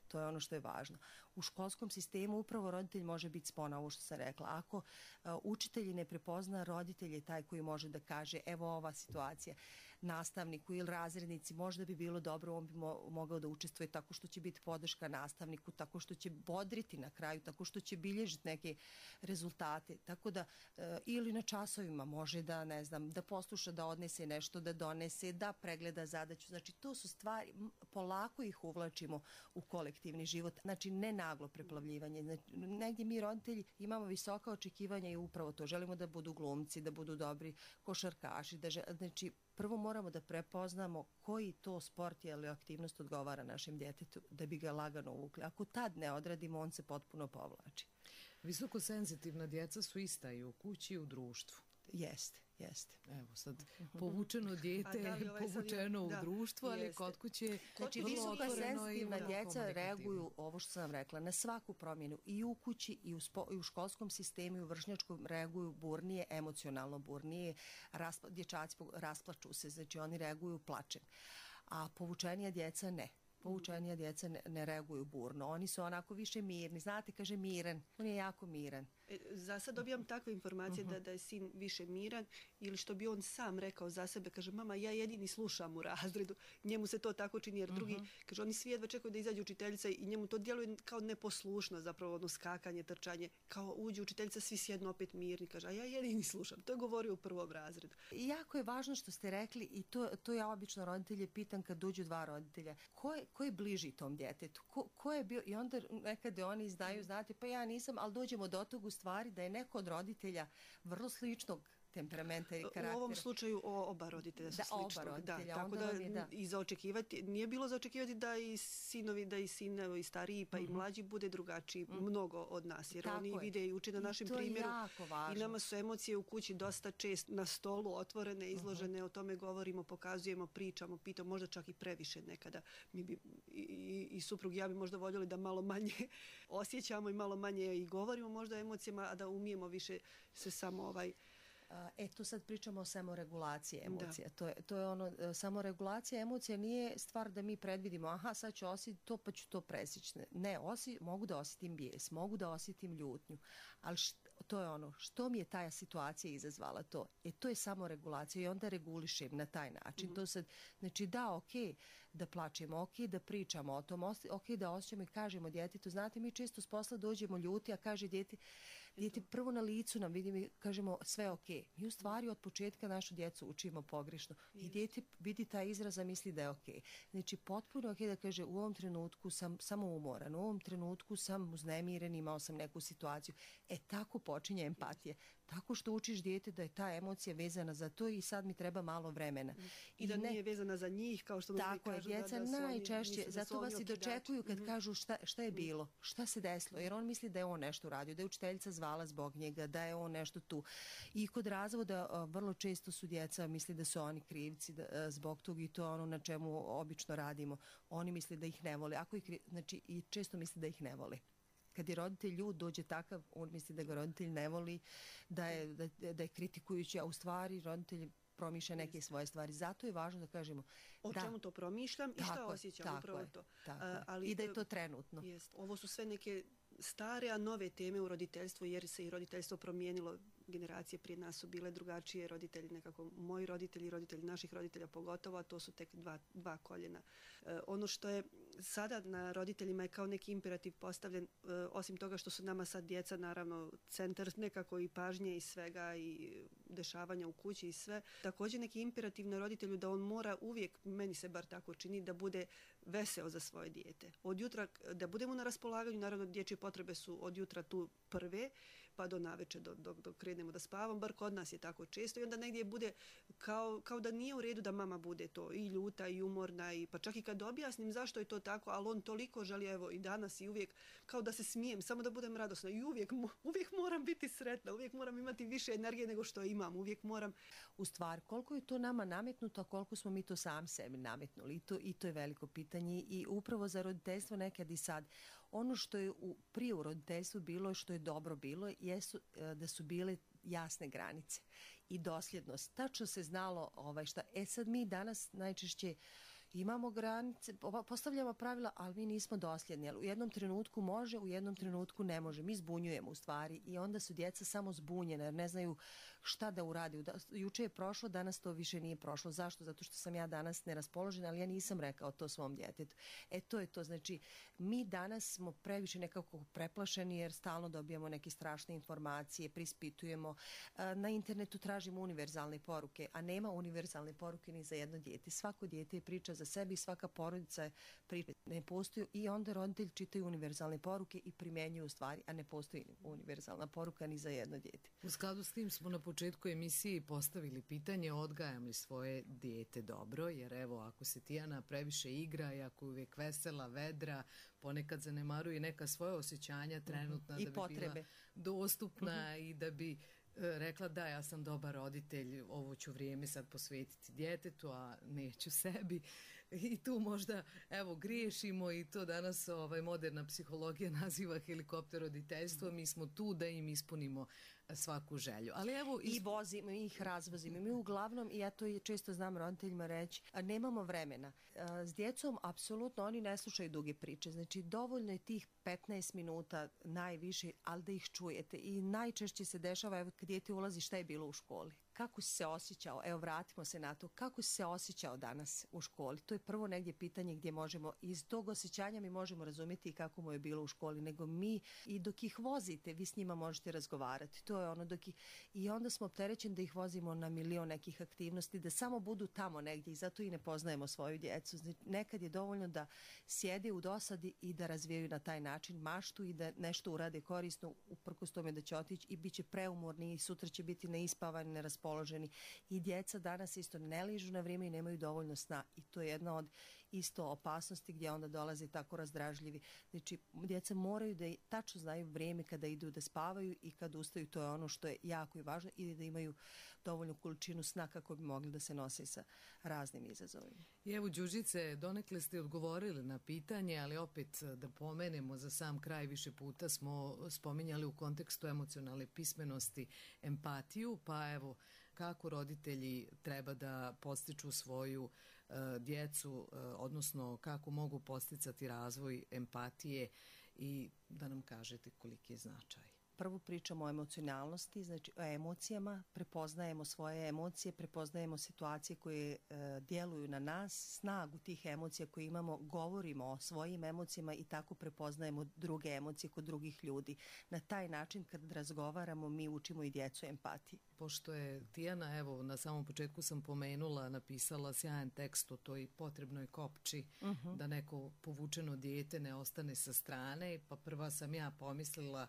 To je ono što je važno. U školskom sistemu upravo roditelj može biti spona, ovo što sam rekla. Ako uh, učitelji ne prepozna, roditelj je taj koji može da kaže evo ova situacija nastavniku ili razrednici, možda bi bilo dobro, on bi mo mogao da učestvuje tako što će biti podrška nastavniku, tako što će bodriti na kraju, tako što će bilježiti neke rezultate. Tako da, uh, ili na časovima može da, ne znam, da posluša, da odnese nešto, da donese, da pregleda zadaću. Znači, to su stvari, polako ih uvlačimo u kolektivni život. Znači, ne naglo preplavljivanje. Znači, negdje mi roditelji imamo visoka očekivanja i upravo to. Želimo da budu glumci, da budu dobri košarkaši. Da žel... Znači, prvo moramo da prepoznamo koji to sport ili aktivnost odgovara našem djetetu da bi ga lagano uvukli. Ako tad ne odradimo, on se potpuno povlači. Visoko senzitivna djeca su ista i u kući i u društvu. Jeste, jeste. Evo sad, povučeno dijete, da, ovaj povučeno u da, društvu, ali jeste. Kod kuće znači, visoko senzitivna djeca reaguju, ovo što sam rekla, na svaku promjenu i u kući i u, spo, i u školskom sistemu i u vršnjačkom reaguju burnije, emocionalno burnije, raspla, dječaci rasplaču se, znači oni reaguju plačem. a povučenija djeca ne. Povučenija djeca ne, ne reaguju burno. Oni su onako više mirni. Znate, kaže miran. On je jako miran. E, za sad dobijam takve informacije Uh-huh. da, da je sin više miran ili što bi on sam rekao za sebe. Kaže, mama, ja jedini slušam u razredu. Njemu se to tako čini jer drugi, Uh-huh. kaže, oni svi jedva čekaju da izađe učiteljica i njemu to djeluje kao neposlušno, zapravo ono skakanje, trčanje. Kao uđe učiteljica, svi sjednu opet mirni. Kaže, a ja jedini slušam. To je govorio u prvom razredu. I jako je važno što ste rekli i to, to ja obično roditelje pitam kad dođu dva roditelja. Ko je, ko je bliži tom djetetu? Ko, ko je bio? I onda nekada oni izdaju, znate, pa ja nisam, ali dođemo do tog u stvari da je neko od roditelja vrlo sličnog temperamenta i karaktera. U ovom slučaju o, oba roditelja su da, sličnog. Oba roditelja. Da, tako da, je, da i za očekivati, nije bilo za očekivati da i sinovi, da i sin i stariji pa uh-huh. i mlađi bude drugačiji uh-huh. mnogo od nas. Jer tako oni je. Vide i uče na našem primjeru. I nama su emocije u kući dosta čest na stolu otvorene, izložene, uh-huh. o tome govorimo, pokazujemo, pričamo, pitamo, možda čak i previše nekada. Mi bi, i, i, i suprug i ja bi možda voljeli da malo manje osjećamo i malo manje i govorimo možda o emocijama, a da umijemo više se samo ovaj... E, tu sad pričamo o samoregulaciji emocija. To je, to je ono, samoregulacija emocija nije stvar da mi predvidimo, aha, sad ću osjetiti to, pa ću to presjeći. Ne, osi, mogu da osjetim bijes, mogu da osjetim ljutnju, ali št, to je ono, što mi je ta situacija izazvala to? E, to je samoregulacija i onda regulišem na taj način. Mm-hmm. To sad, znači da, ok, da plačemo, ok, da pričamo o tom, ok, da osjećamo i kažemo djetetu, znate, mi često s posla dođemo ljuti, a kaže djete, djete prvo na licu nam vidimo i kažemo sve ok. Mi u stvari od početka našu djecu učimo pogrešno. Yes. I djete vidi taj izraz, a misli da je ok. Znači potpuno ok da kaže u ovom trenutku sam samo umoran, u ovom trenutku sam uznemiren, imao sam neku situaciju. E tako počinje empatija. Tako što učiš dijete da je ta emocija vezana za to i sad mi treba malo vremena. I, I da ne, nije vezana za njih, kao što mnogi kažu. Tako je, djeca da, da najčešće, oni, zato vas i dočekuju kad mm-hmm. kažu šta, šta je bilo, šta se desilo, jer on misli da je on nešto uradio, da je učiteljica zvala zbog njega, da je on nešto tu. I kod razvoda vrlo često su djeca misli da su oni krivci da, zbog tog i to je ono na čemu obično radimo. Oni misle da ih ne vole, ako ih, znači i često misle da ih ne vole. Kad je roditelj ljud, dođe takav, on misli da ga roditelj ne voli, da je, da, da je kritikujući, a u stvari roditelj promišlja neke svoje stvari. Zato je važno da kažemo o da, čemu to promišljam i šta osjećam, upravo je, to. Tako A, ali, I da je to trenutno. Jest. Ovo su sve neke stare, a nove teme u roditeljstvu, jer se i roditeljstvo promijenilo. Generacije prije nas su bile drugačije, roditelji nekako, moji roditelji i roditelji naših roditelja pogotovo, a to su tek dva, dva koljena. E, ono što je sada na roditeljima je kao neki imperativ postavljen, e, osim toga što su nama sad djeca naravno centar nekako i pažnje i svega i dešavanja u kući i sve. Također neki imperativ na roditelju da on mora uvijek, meni se bar tako čini, da bude veseo za svoje dijete. Od jutra, da budemo na raspolaganju, naravno dječje potrebe su od jutra tu prve, pa do naveče, dok do, do krenemo da spavam, bar kod nas je tako često i onda negdje bude kao, kao da nije u redu da mama bude to i ljuta i umorna i pa čak i kad objasnim zašto je to tako, ali on toliko želi, evo i danas i uvijek, kao da se smijem, samo da budem radosna i uvijek, uvijek moram biti sretna, uvijek moram imati više energije nego što imam, uvijek moram. U stvari, koliko je to nama nametnuto, a koliko smo mi to sami sebi nametnuli i to, i to je veliko pitanje i upravo za roditeljstvo nekad i sad. Ono što je u, prije u roditeljstvu bilo i što je dobro bilo jesu da su bile jasne granice i dosljednost. Tačno se znalo ovaj, šta. E sad mi danas najčešće imamo granice, postavljamo pravila, ali mi nismo dosljedni. U jednom trenutku može, u jednom trenutku ne može. Mi zbunjujemo u stvari i onda su djeca samo zbunjena jer ne znaju šta da uradi. Juče je prošlo, danas to više nije prošlo. Zašto? Zato što sam ja danas neraspoložena, ali ja nisam rekao to svom djetetu. E to je to. Znači, mi danas smo previše nekako preplašeni jer stalno dobijamo neke strašne informacije, prispitujemo. Na internetu tražimo univerzalne poruke, a nema univerzalne poruke ni za jedno dijete. Svako dijete je priča za sebi, svaka porodica je priča. Ne postoji i onda roditelji čitaju univerzalne poruke i primjenjuju u stvari, a ne postoji univerzalna poruka ni za jedno dijete. U skladu s tim smo na početku emisije postavili pitanje odgajam li svoje dijete dobro, jer evo ako se Tijana previše igra i ako je uvijek vesela, vedra, ponekad zanemaruje neka svoja osjećanja trenutna uh-huh. da bi potrebe. Bila dostupna uh-huh. i da bi rekla da ja sam dobar roditelj, ovo ću vrijeme sad posvetiti djetetu, a neću sebi. I tu možda, evo, griješimo i to danas ovaj, moderna psihologija naziva helikopter roditeljstvo. Mi smo tu da im ispunimo svaku želju. Ali evo i vozimo ih, razvozimo. Mi uglavnom, i ja to često znam roditeljima reći, nemamo vremena. S djecom apsolutno oni ne slušaju duge priče. Znači dovoljno je tih petnaest minuta najviše, ali da ih čujete. I najčešće se dešava, evo kad dijete ulazi, šta je bilo u školi. Kako si se osjećao, evo vratimo se na to, kako si se osjećao danas u školi? To je prvo negdje pitanje gdje možemo, iz tog osjećanja mi možemo razumjeti kako mu je bilo u školi, nego mi i dok ih vozite, vi s njima možete razgovarati. To je ono dok ih, i onda smo opterećeni da ih vozimo na milion nekih aktivnosti, da samo budu tamo negdje i zato i ne poznajemo svoju djecu. Znači, nekad je dovoljno da sjede u dosadi i da razvijaju na taj način maštu i da nešto urade korisno, uprkos tome da će otići i bit će preumorni i sutra će biti neispavani, neraspoloženi. I djeca danas isto ne ližu na vrijeme i nemaju dovoljno sna i to je jedna od isto opasnosti gdje onda dolaze tako razdražljivi. Znači, djeca moraju da tačno znaju vrijeme kada idu da spavaju i kad ustaju, to je ono što je jako i važno, ili da imaju dovoljnu količinu sna kako bi mogli da se nose sa raznim izazovima. I evo, Đurđice, donekle ste odgovorili na pitanje, ali opet da pomenemo za sam kraj, više puta smo spominjali u kontekstu emocionalne pismenosti empatiju, pa evo, kako roditelji treba da podstiču svoju uh, djecu, uh, odnosno kako mogu podsticati razvoj empatije i da nam kažete koliki je značaj. Prvo pričamo o emocionalnosti, znači o emocijama, prepoznajemo svoje emocije, prepoznajemo situacije koje e, djeluju na nas, snagu tih emocija koje imamo, govorimo o svojim emocijama i tako prepoznajemo druge emocije kod drugih ljudi. Na taj način kad razgovaramo mi učimo i djecu empatiji. Pošto je Tijana, evo na samom početku sam pomenula, napisala sjajan tekst o toj potrebnoj kopči, uh-huh. da neko povučeno dijete ne ostane sa strane, pa prva sam ja pomislila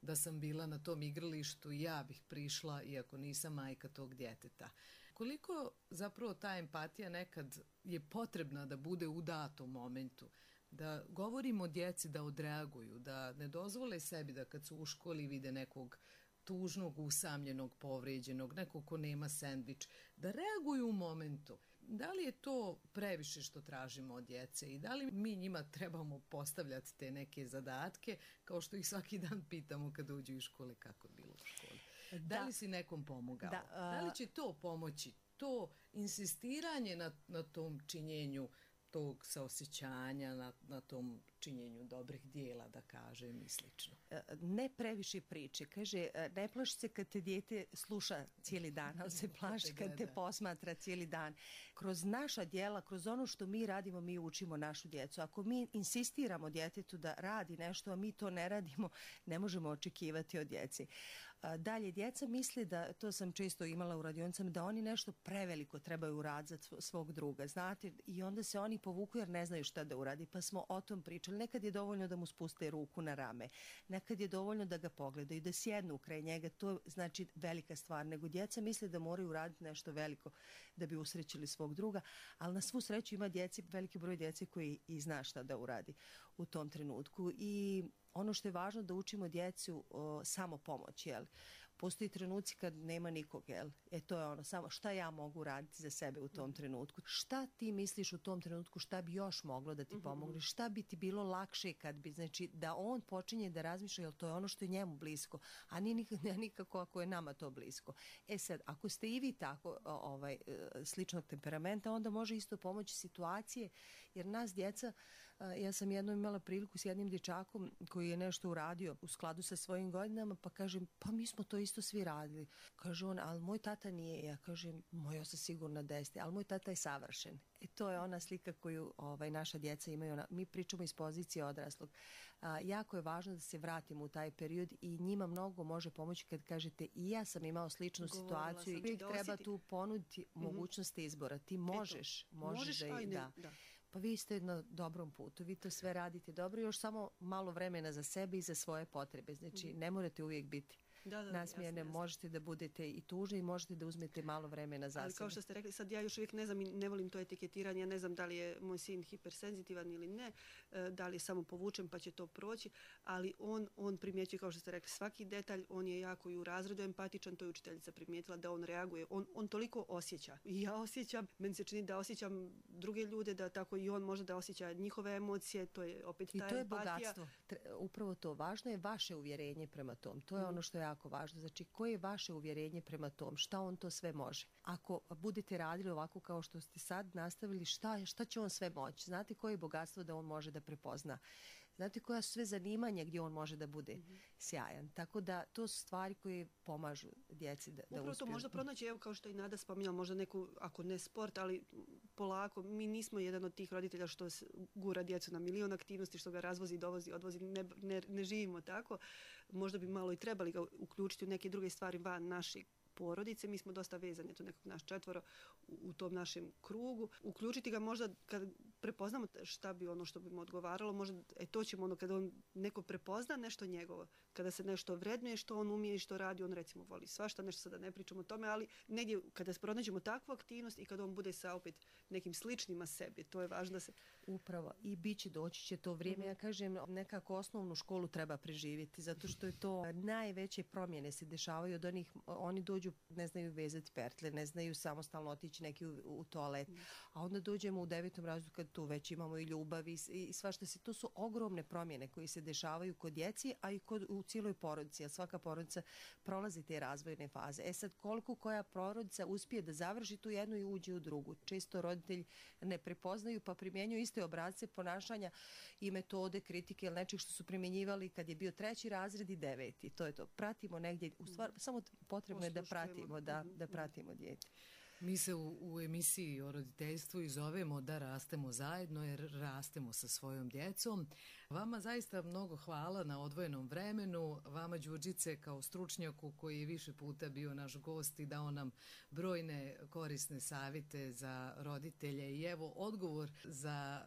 da sam bila na tom igralištu i ja bih prišla iako nisam majka tog djeteta. Koliko zapravo ta empatija nekad je potrebna da bude u datom momentu, da govorimo djeci da odreaguju, da ne dozvole sebi da kad su u školi vide nekog tužnog, usamljenog, povrijeđenog, nekog ko nema sendvič, da reaguju u momentu. Da li je to previše što tražimo od djece i da li mi njima trebamo postavljati te neke zadatke kao što ih svaki dan pitamo kada uđu iz škole kako je bilo u školi? Da, da li si nekom pomogao? Da, uh... da li će to pomoći? To insistiranje na, na tom činjenju tog saosjećanja, na, na tom činjenju dobrih dijela, da kažem, i slično. Ne previše priče. Kaže, ne plaši se kad te dijete sluša cijeli dan, ali se plaši kad te posmatra cijeli dan. Kroz naša djela, kroz ono što mi radimo, mi učimo našu djecu. Ako mi insistiramo djetetu da radi nešto, a mi to ne radimo, ne možemo očekivati od djeci. Dalje, djeca misle da, to sam često imala u radionicama, da oni nešto preveliko trebaju uraditi za svog druga, znate, i onda se oni povuku jer ne znaju šta da uradi, pa smo o tom pričali. Nekad je dovoljno da mu spuste ruku na rame, nekad je dovoljno da ga pogledaju, da sjednu kraj njega, to znači velika stvar, nego djeca misle da moraju uraditi nešto veliko da bi usrećili svog druga, ali na svu sreću ima djeci, veliki broj djece koji i zna šta da uradi u tom trenutku. I ono što je važno da učimo djecu o, samo pomoć, jel? Postoji trenuci kad nema nikog, jel? E to je ono, samo šta ja mogu raditi za sebe u tom trenutku. Šta ti misliš u tom trenutku, šta bi još moglo da ti pomogne, šta bi ti bilo lakše kad bi, znači da on počinje da razmišlja, jel to je ono što je njemu blisko, a nije nikako, nikako ako je nama to blisko. E sad, ako ste i vi tako ovaj, sličnog temperamenta, onda može isto pomoći situacije, jer nas djeca, ja sam jednom imala priliku s jednim dječakom koji je nešto uradio u skladu sa svojim godinama, pa kažem, pa mi smo to isto svi radili. Kaže on, ali moj tata nije. Ja kažem, moj sam sigurno da jeste, ali moj tata je savršen. I to je ona slika koju ovaj, naša djeca imaju. Ona, mi pričamo iz pozicije odraslog. A, jako je važno da se vratimo u taj period i njima mnogo može pomoći kad kažete i ja sam imao sličnu Govorila situaciju i uvijek treba tu ponuditi mm-hmm. mogućnost izbora. Ti možeš, možeš, možeš da, i, da. da. Pa vi ste na dobrom putu, vi to sve radite dobro, još samo malo vremena za sebe i za svoje potrebe. Znači, mm-hmm. ne morate uvijek biti da, da, nasmijene, jasno, možete jasno. Da budete i tužni i možete da uzmete malo vremena za Ali sebe. Kao što ste rekli, sad ja još uvijek ne znam i ne volim to etiketiranje, ja ne znam da li je moj sin hipersenzitivan ili ne, da li je samo povučen pa će to proći, ali on, on primjećuje, kao što ste rekli, svaki detalj, on je jako i u razredu empatičan, to je učiteljica primijetila da on reaguje, on, on toliko osjeća. I ja osjećam, meni se čini da osjećam druge ljude, da tako i on može da osjeća njihove emocije, to je opet ta empatija. I to je empatija. bogatstvo. Upravo to, važno je vaše uvjerenje prema tom, to je mm. ono što je jako važno. Znači, koje je vaše uvjerenje prema tom? Šta on to sve može? Ako budete radili ovako kao što ste sad nastavili, šta, šta će on sve moći? Znate koje je bogatstvo da on može da prepozna? Znate koja su sve zanimanja gdje on može da bude mm-hmm. sjajan. Tako da to su stvari koje pomažu djeci da, da uspiju. Upravo to možda pronaći, evo kao što i Nada spominjala, možda neku, ako ne sport, ali polako, mi nismo jedan od tih roditelja što gura djecu na milion aktivnosti, što ga razvozi, dovozi, odvozi, ne, ne, ne živimo tako. Možda bi malo i trebali ga uključiti u neke druge stvari van naših porodice. Mi smo dosta vezani, to nekog naš četvoro u, u tom našem krugu. Uključiti ga možda kad prepoznamo šta bi ono što bi mu odgovaralo, možda e, to ćemo ono kada on neko prepozna nešto njegovo, kada se nešto vrednuje što on umije i što radi, on recimo voli svašta, nešto sada ne pričamo o tome, ali negdje kada pronađemo takvu aktivnost i kada on bude sa opet nekim sličnima sebi, to je važno da se... Upravo, i bit će, doći će to vrijeme. Mm-hmm. Ja kažem, nekako osnovnu školu treba preživjeti, zato što je to najveće promjene se dešavaju od onih, oni dođu, ne znaju vezati pertle, ne znaju samostalno otići neki u, u toalet, mm. a onda dođemo u devetom razredu kad tu već imamo i ljubav i, i svašta se, to su ogromne promjene koje se dešavaju kod djeci, a i kod, u cijeloj porodici, a svaka porodica prolazi te razvojne faze. E sad, koliko koja porodica uspije da završi tu jednu i uđe u drugu. Često roditelji ne prepoznaju pa primjenjuju iste obrasce ponašanja i metode kritike ili nečeg što su primjenjivali kad je bio treći razred i deveti. To je to. Pratimo negdje, u stvar, samo potrebno je da pratimo, da, da pratimo dijete. Mi se u, u emisiji o roditeljstvu i zovemo Da rastemo zajedno, jer rastemo sa svojom djecom. Vama zaista mnogo hvala na odvojenom vremenu. Vama, Đurđice, kao stručnjaku koji je više puta bio naš gost i dao nam brojne korisne savjete za roditelje. I evo odgovor za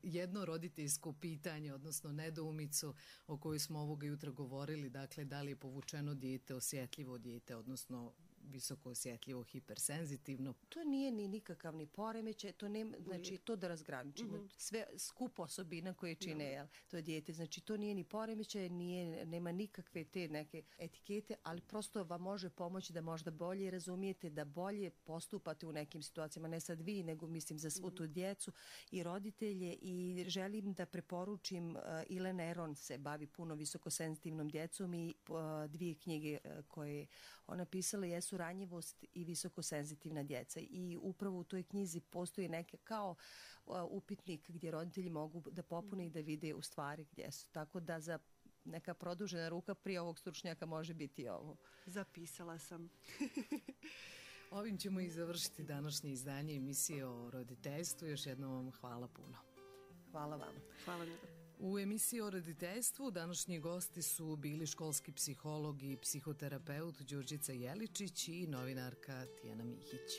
jedno roditeljsko pitanje, odnosno nedoumicu o kojoj smo ovoga jutra govorili. Dakle, da li je povučeno dijete osjetljivo dijete, odnosno visoko osjetljivo, hipersenzitivno. To nije ni nikakav ni poremećaj, to nema, znači to da razgraničimo. Mm-hmm. Sve skup osobina koje čine jel, to dijete, znači to nije ni poremećaj, nije, nema nikakve te neke etikete, ali prosto vam može pomoći da možda bolje razumijete, da bolje postupate u nekim situacijama, ne sad vi, nego mislim za svu tu djecu i roditelje i želim da preporučim, uh, Ilena Eron se bavi puno visokosenzitivnom djecom i uh, dvije knjige uh, koje ona pisala jesu Ranjivost i visokosenzitivna djeca i upravo u toj knjizi postoji neke kao uh, upitnik gdje roditelji mogu da popune i da vide u stvari gdje su. Tako da za neka produžena ruka prije ovog stručnjaka može biti ovo. Zapisala sam. Ovim ćemo i završiti današnje izdanje emisije o roditeljstvu. Još jednom vam hvala puno. Hvala vam. Hvala lijepo. U emisiji o roditeljstvu današnji gosti su bili školski psiholog i psihoterapeut Đurđica Jeličić i novinarka Tijana Mihić.